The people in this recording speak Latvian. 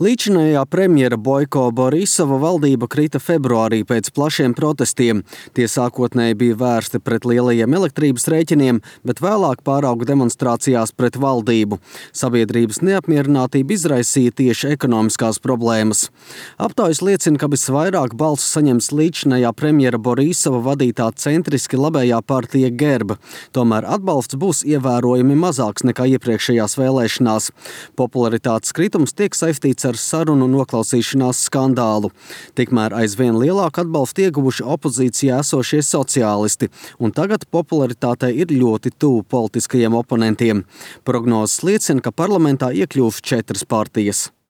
Līdzinājā premjera Boiko Borisova valdība krita februārī pēc plašiem protestiem. Tie sākotnēji bija vērsti pret lielajiem elektrības rēķiniem, bet vēlāk pārauga demonstrācijās pret valdību. Sabiedrības neapmierinātība izraisīja tieši ekonomiskās problēmas. Aptaujas liecina, ka visvairāk balsu saņems līdzinājā premjera Borisova vadītā centriski labējā partija Gerba. Tomēr atbalsts būs ievērojami mazāks nekā iepriekšējās vēlēšanās. Popularitātes kritums tiek saistīts ar sarunu noklausīšanās skandālu. Tikmēr aizvien lielāku atbalstu ieguvuši opozīcijā esošie sociālisti, un tagad popularitātei ir ļoti tuvu politiskajiem oponentiem. Prognozes liecina, ka parlamentā iekļūs 4 partijas.